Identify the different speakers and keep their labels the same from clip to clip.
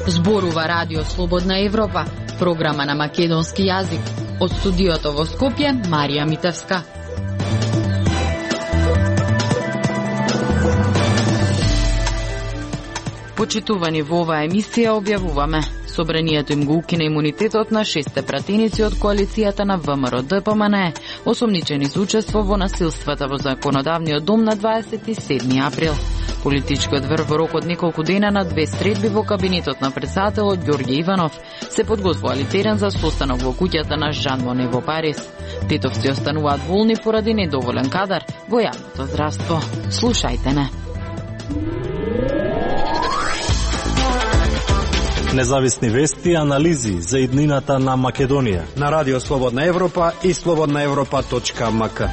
Speaker 1: Зборува Радио Слободна Европа, програма на македонски јазик. Од студиото во Скопје, Марија Митевска. Почитувани во оваа емисија објавуваме: собранието им го укина имунитетот на 6 пратеници од коалицијата на ВМРО ДПМНЕ, осомничени за учество во насилствата во законодавниот дом на 27 април. Политичкиот врв во рок од неколку дена на 2 средби во кабинетот на претседателот Ѓорѓе Иванов се подготвували терен за состанок во куќата на Жан Моне во Париз. Тетовци остануваат болни поради недоволен кадар во јавното здравство. Слушајте не.
Speaker 2: Независни вести и анализи за иднината на Македонија
Speaker 3: на Радио Слободна Европа и slobodnaevropa.mk.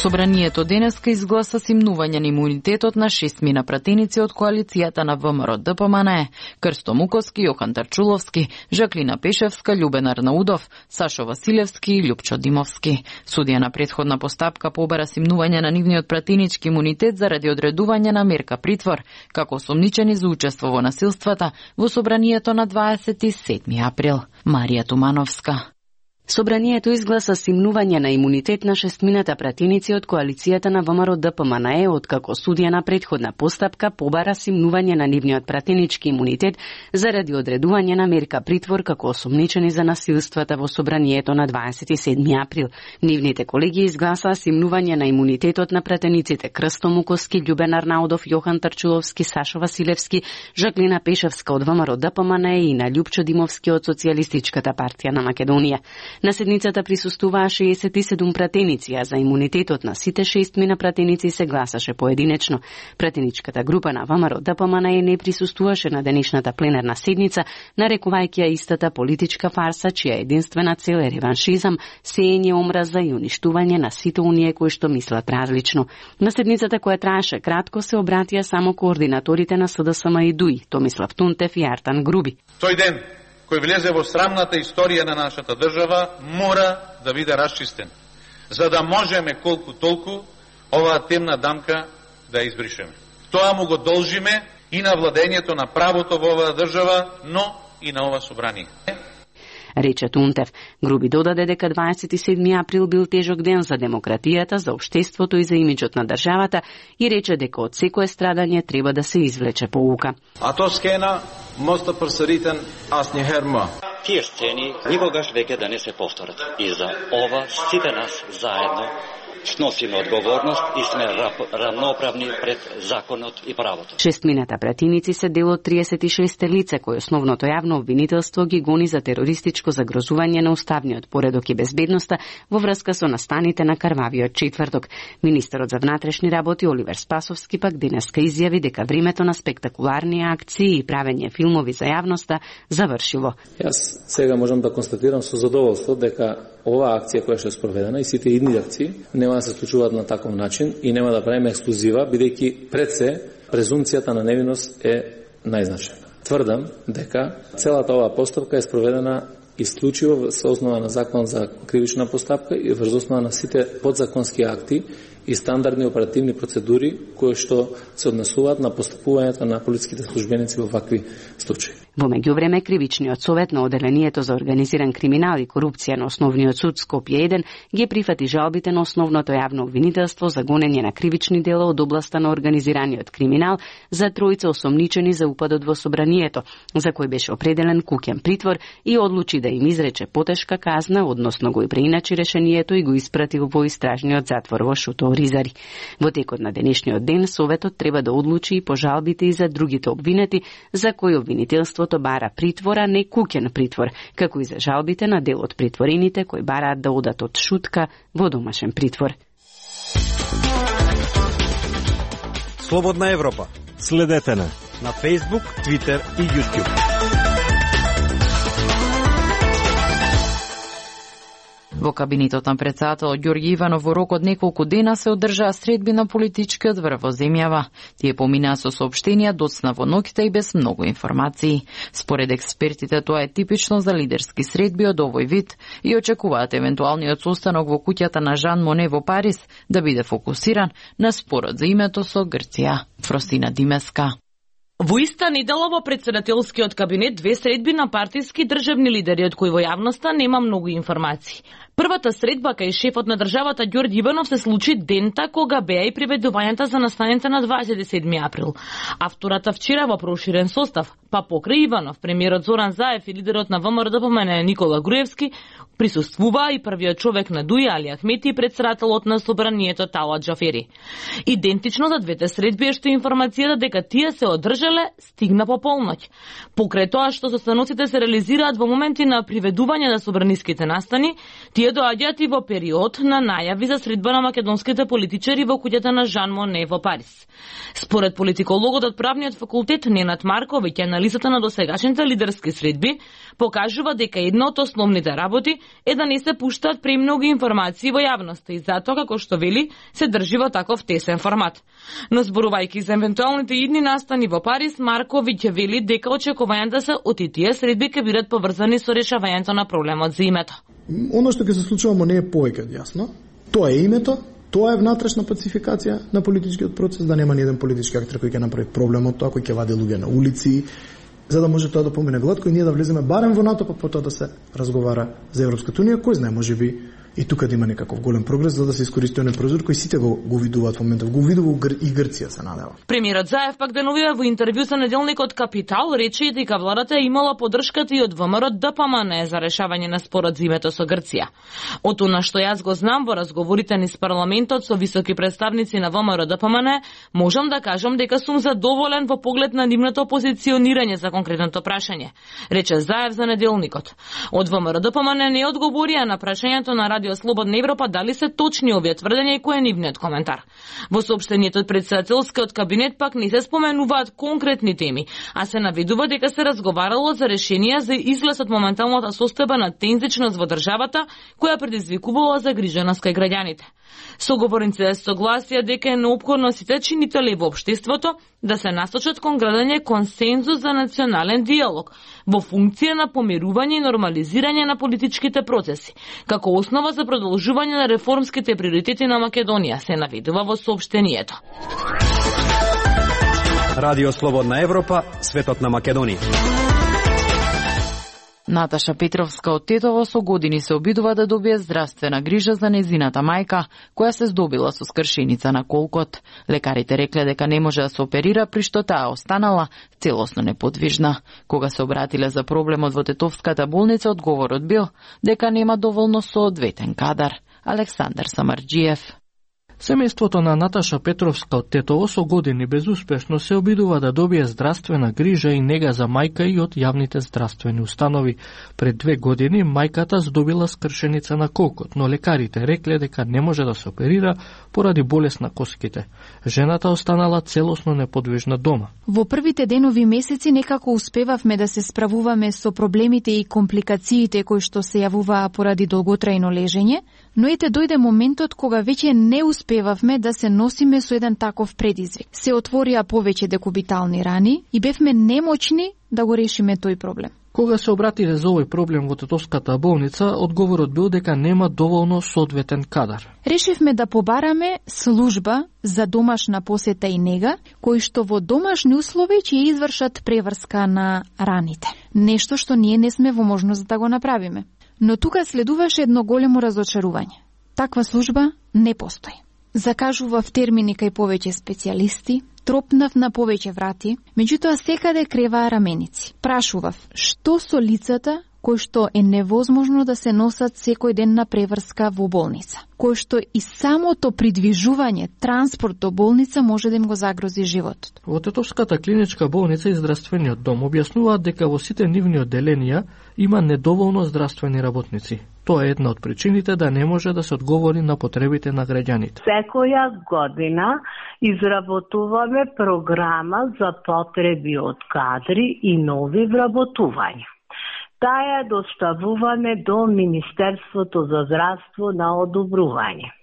Speaker 1: Собранието денеска изгласа симнување на имунитетот на 6 мина пратеници од коалицијата на ВМРО ДПМНЕ: Крсто Муковски, Јохан Тарчуловски, Жаклина Пешевска, Љубен Арнаудов, Сашо Василевски и Љупчо Димовски. Судија на претходна постапка побара симнување на нивниот пратенички имунитет заради одредување на мерка притвор, како осомничени за учество во насилствата во собранието на 27 април. Марија Тумановска.
Speaker 4: Собранието изгласа симнување на имунитет на 6 пратеници од коалицијата на ВМРО ДПМНЕ, откако судија на претходна постапка побара симнување на нивниот пратенички имунитет заради одредување на мерка притвор како осомничени за насилствата во собранието на 27 април. Нивните колеги изгласаа симнување на имунитетот на пратениците Крсто Муковски, Љубен Арнаудов, Јохан Тарчуловски, Сашо Василевски, Жаклина Пешевска од ВМРО ДПМНЕ и на Љупчо Димовски од Социјалистичката партија на Македонија. На седницата присуствуваа 67 пратеници, а за имунитетот на сите 6 пратеници се гласаше поединечно. Пратеничката група на ВМРО ДПМНЕ не присуствуваше на денешната пленарна седница, нарекувајќи ја истата политичка фарса, чија единствена цел е реваншизам, сеење омраза и уништување на сите оние кои што мислат различно. На седницата, која траеше кратко, се обратија само координаторите на СДСМ и ДУИ, Томислав Тунтев и Артан Груби.
Speaker 5: Тој ден кој влезе во срамната историја на нашата држава, мора да биде расчистен, за да можеме колку толку оваа темна дамка да ја избришеме. Тоа му го должиме и на владењето на правото во оваа држава, но и на ова собрание.
Speaker 4: Рече Тунтев. Груби додаде дека 27 април бил тежок ден за демократијата, за општеството и за имиџот на државата и рече дека од секое страдање треба да се извлече поука.
Speaker 6: А то скена моста прсаритен аз не херма.
Speaker 7: Тие сцени никогаш веќе да не се повторат. И за ова сите нас заедно сносиме одговорност и сме равноправни пред законот и правото.
Speaker 4: 6 пратеници се дел од 36 лице кои основното јавно обвинителство ги гони за терористичко загрозување на уставниот поредок и безбедноста во врска со настаните на Карвавиот четврток. Министерот за внатрешни работи Оливер Спасовски пак денеска изјави дека времето на спектакуларни акции и правење филмови за јавноста завршило.
Speaker 8: Јас сега можам да констатирам со задоволство дека оваа акција која што е спроведена и сите идни акции нема да се случуваат на таков начин и нема да правиме ексклузива, бидејќи пред се презумцијата на невиност е најзначајна. Тврдам дека целата оваа постапка е спроведена исклучиво со основа на закон за кривична постапка и врз основа на сите подзаконски акти и стандардни оперативни процедури кои што се однесуваат на постапувањето на полициските службеници во вакви случаи.
Speaker 4: Во меѓувреме, Кривичниот совет на Оделението за организиран криминал и корупција на Основниот суд Скопје 1 ги прифати жалбите на основното јавно обвинителство за гонење на кривични дела од областа на организираниот криминал за тројца осомничени за упадот во собранието, за кој беше определен куќен притвор и одлучи да им изрече потешка казна, односно го и преиначи решението и го испрати во истражниот затвор во Шуто Ризари. Во текот на денешниот ден Советот треба да одлучи и по жалбите и за другите обвинети, за кои обвинителството бара притвора, не куќен притвор, како и за жалбите на дел од притворените кои бараат да одат од шутка во домашен притвор.
Speaker 3: Слободна Европа.
Speaker 2: Следете на
Speaker 3: Facebook, Twitter и YouTube.
Speaker 1: Во кабинетот на претседателот Ѓорѓи Иванов во рок од неколку дена се одржаа средби на политичкиот врв во земјава. Тие поминаа со соопштенија доцна во ноќта и без многу информации. Според експертите тоа е типично за лидерски средби од овој вид и очекуваат евентуалниот состанок во куќата на Жан Моне во Париз да биде фокусиран на спорот за името со Грција. Фросина Димеска.
Speaker 9: Во иста недела во претседателскиот кабинет две средби на партиски државни лидери од кои во јавноста нема многу информации. Првата средба кај шефот на државата Ѓорѓи Иванов се случи дента кога беа и приведувањата за настаните на 27 април, а втората вчера во проширен состав, па покрај Иванов, премиерот Зоран Заев и лидерот на ВМРО Никола Груевски присуствуваа и првиот човек на Дуи Али Ахмети и претседателот на собранието Талат Џафери. Идентично за двете средби е што информацијата дека тие се одржале стигна по полноќ. Покрај тоа што состаноците се реализираат во моменти на приведување на собраниските настани, тие доаѓаат и во период на најави за средба на македонските политичари во куќата на Жан Моне во Париз. Според политикологот од правниот факултет Ненад Марковиќ, анализата на досегашните лидерски средби покажува дека една од основните работи е да не се пуштаат премногу информации во јавноста и затоа, како што вели, се држи во таков тесен формат. Но зборувајќи за евентуалните идни настани во Париз, Марковиќ вели дека очекувањата се од тие средби ќе бидат поврзани со решавањето на проблемот за името.
Speaker 10: Оно што ќе се случува не е повеќе јасно. Тоа е името, тоа е внатрешна пацификација на политичкиот процес, да нема ни еден политички актер кој ќе направи проблемот, тоа кој ќе вади луѓе на улици, за да може тоа да помине гладко и ние да влеземе барем во НАТО, па потоа да се разговара за Европската унија, кој знае, можеби и тука да има некаков голем прогрес за да се искористи оној прозор кој сите го видуваат во моментов, го видува и Грција се надева.
Speaker 9: Премиерот Заев пак деновиве во интервју за неделникот Капитал рече дека владата имала поддршката и од ВМРО ДПМН за решавање на спорот за името со Грција. Од она што јас го знам во разговорите ни с парламентот со високи представници на ВМРО ДПМН, можам да кажам дека сум задоволен во поглед на нивното позиционирање за конкретното прашање, рече Заев за неделникот. Од ВМРО ДПМН не одговорија на прашањето на Радио Слободна Европа дали се точни овие тврдења и кој е нивниот коментар. Во соопштението од претседателскиот кабинет пак не се споменуваат конкретни теми, а се наведува дека се разговарало за решенија за излез од моменталната состојба на тензичност во државата, која предизвикувала загриженост кај граѓаните. Соговорниците согласија дека е неопходно сите чинители во општеството да се насочат кон градење консензус за национален диалог во функција на помирување и нормализирање на политичките процеси, како основа за продолжување на реформските приоритети на Македонија, се наведува во соопштението.
Speaker 3: Радио Слободна Европа, светот на Македонија.
Speaker 1: Наташа Петровска од Тетово со години се обидува да добие здравствена грижа за незината мајка, која се здобила со скршеница на колкот. Лекарите рекле дека не може да се оперира, при што таа останала целосно неподвижна. Кога се обратиле за проблемот во Тетовската болница, одговорот бил дека нема доволно соодветен кадар. Александар Самарџиев.
Speaker 11: Семејството на Наташа Петровска од Тетово со години безуспешно се обидува да добие здравствена грижа и нега за мајка и од јавните здравствени установи. Пред 2 години мајката здобила скршеница на колкот, но лекарите рекле дека не може да се оперира поради болест на коските. Жената останала целосно неподвижна дома.
Speaker 12: Во првите денови месеци некако успевавме да се справуваме со проблемите и компликациите кои што се јавуваа поради долготрајно лежење, но ете дојде моментот кога веќе не успевавме да се носиме со еден таков предизвик. Се отворија повеќе декубитални рани и бевме немочни да го решиме тој проблем.
Speaker 11: Кога се обратиле за овој проблем во Тетовската болница, одговорот бил дека нема доволно соодветен кадар.
Speaker 12: Решивме да побараме служба за домашна посета и нега, кои што во домашни услови ќе извршат преврска на раните. Нешто што ние не сме во можност да го направиме. Но тука следуваше едно големо разочарување. Таква служба не постои. Закажував термини кај повеќе специјалисти, тропнав на повеќе врати, меѓутоа секаде креваа раменици. Прашував, што со лицата кои што е невозможно да се носат секој ден на преврска во болница, кои што и самото придвижување, транспорт до болница може да им го загрози животот.
Speaker 11: Во Тетовската клиничка болница и здравствениот дом објаснуваат дека во сите нивни одделенија има недоволно здравствени работници. Тоа е една од причините да не може да се одговори на потребите на граѓаните.
Speaker 13: Секоја година изработуваме програма за потреби од кадри и нови вработувања. таа доставуваме до Министерството за здравство на одобрување.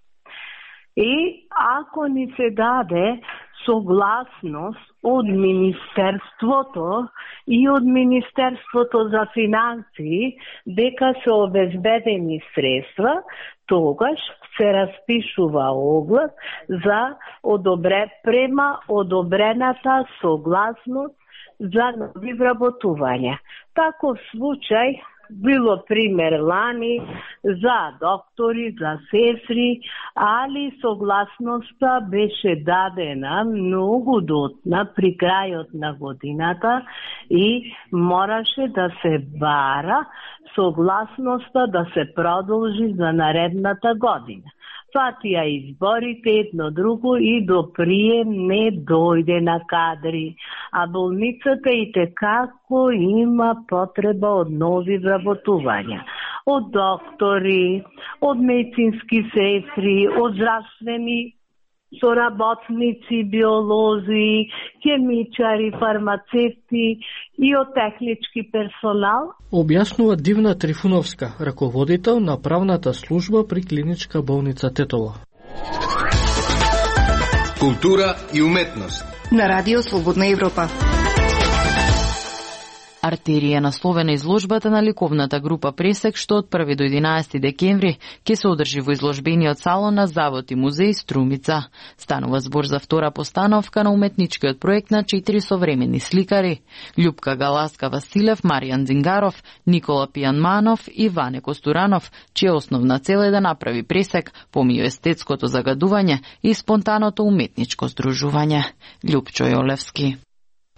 Speaker 13: И ако ни се даде согласност од Министерството и од Министерството за финансии дека се обезбедени средства, тогаш се распишува оглас за према одобрената согласност за нови вработувања. Таков случај било пример лани за доктори, за сестри, али согласноста беше дадена многу дотна при крајот на годината и мораше да се бара согласноста да се продолжи за наредната година. Фатија изборите едно друго и до прием не дојде на кадри, а болницата и текако има потреба од нови вработувања. Од доктори, од медицински сестри, од здравствени соработници, биолози, хемичари, фармацевти и од технички персонал.
Speaker 11: Објаснува Дивна Трифуновска, раководител на правната служба при клиничка болница Тетово.
Speaker 14: Култура и уметност
Speaker 15: на Радио Слободна Европа.
Speaker 1: Артерија насловена изложбата на ликовната група Пресек, што од 1 до 11 декември ќе се одржи во изложбениот салон на Завод и музеј Струмица. Станува збор за втора постановка на уметничкиот проект на 4 современи сликари: Љупка Галаска Василев, Маријан Дзингаров, Никола Пијанманов и Ване Костуранов, чија основна цел е да направи Пресек помеѓу естетското загадување и спонтаното уметничко здружување. Љупчо Јолевски.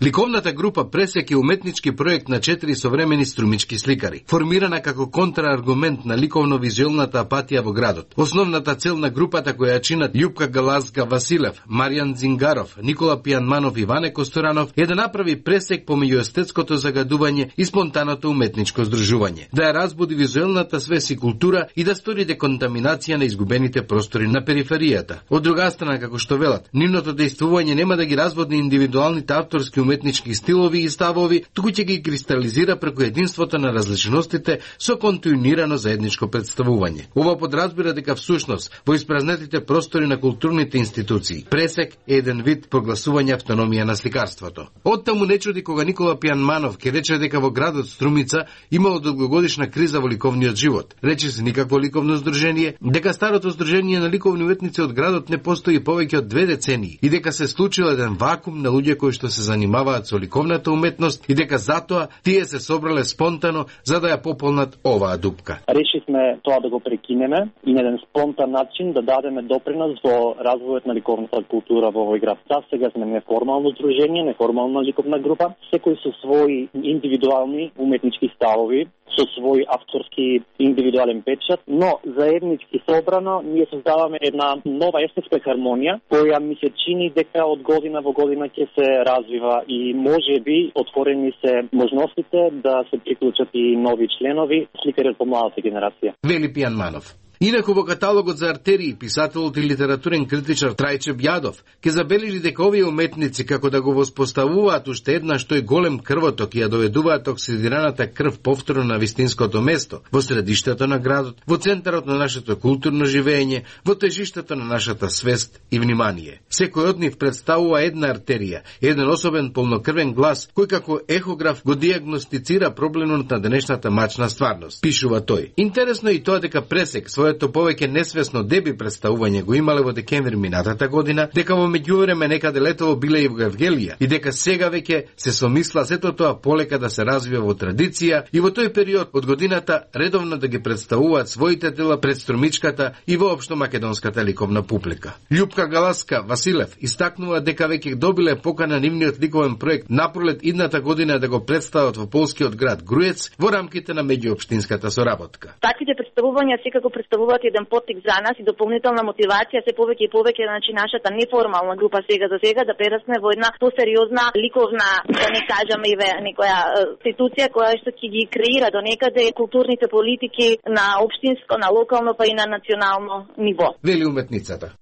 Speaker 14: Ликовната група Пресек е уметнички проект на 4 современи струмички сликари, формирана како контрааргумент на ликовно-визуелната апатија во градот. Основната цел на групата, која чинат Љупка Галазка Василев, Маријан Дзингаров, Никола Пијанманов и Ване Костуранов, е да направи пресек помеѓу естетското загадување и спонтаното уметничко здружување, да ја разбуди визуелната свест и култура и да стори деконтаминација на изгубените простори на периферијата. Од друга страна, како што велат, нивното дејствување нема да ги разводни индивидуалните авторски уметнички стилови и ставови, туку ќе ги кристализира преку единството на различностите со континуирано заедничко представување. Ова подразбира дека всушност во испразнетите простори на културните институции пресек е еден вид прогласување автономија на сликарството. Оттаму не чуди кога Никола Пијанманов ќе рече дека во градот Струмица имало долгогодишна криза во ликовниот живот. Рече се никакво ликовно здружение, дека старото здружение на ликовни уметници од градот не постои повеќе од 2 децении и дека се случил еден вакуум на луѓе кои што се занимаваат со ликовната уметност и дека затоа тие се собрале спонтано за да ја пополнат оваа дупка.
Speaker 16: Решивме тоа да го прекинеме и на еден спонтан начин да дадеме допринос во развојот на ликовната култура во овој град. Сега сме неформално здружение, неформална ликовна група, секој со своји индивидуални уметнички ставови, со свој авторски индивидуален печат, но заеднички собрано ние создаваме една нова естетска хармонија, која ми се чини дека од година во година ќе се развива и може би отворени се можностите да се приклучат и нови членови, сликари од помладата генерација.
Speaker 14: Вели Пијанманов. Инаку во каталогот за артерии, писателот и литературен критичар Трајче Бјадов ке забележи дека овие уметници како да го воспоставуваат уште еднаш тој голем крвоток и ја доведуваат оксидираната крв повторно на вистинското место, во средиштето на градот, во центарот на нашето културно живење, во тежиштето на нашата свест и внимание. Секој од нив представува една артерија, еден особен полнокрвен глас кој како ехограф го диагностицира проблемот на денешната мачна стварност, пишува тој. Интересно е и тоа дека Пресек својот повеќе несвесно деби представување го имале во декември минатата година, дека во меѓувреме некаде летово биле и во Евгелија и дека сега веќе се somисла сето тоа полека да се развива во традиција и во тој период од годината редовно да ги представуваат своите дела пред струмичката и воопшто македонската ликовна публика. Љупка Галаска Василев истакнува дека веќе добиле покана нивниот ликовен проект напролет идната година да го представат во полскиот град Груец во рамките на меѓуопштинската соработка.
Speaker 17: Таквите представувања секако представуваат еден поттик за нас и дополнителна мотивација се повеќе и повеќе, значи нашата неформална група сега за сега да прерасне во една посериозна ликовна, да не кажам и некоја институција која што ќе ги креира до некаде културните политики на општинско, на локално па и на национално ниво.
Speaker 14: Вели уметницата.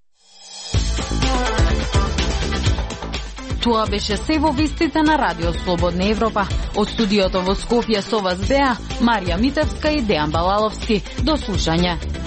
Speaker 1: Тоа беше се во вестите на Радио Слободна Европа. Од студиото во Скопје со вас беа Марија Митевска и Дејан Балаловски. До слушање.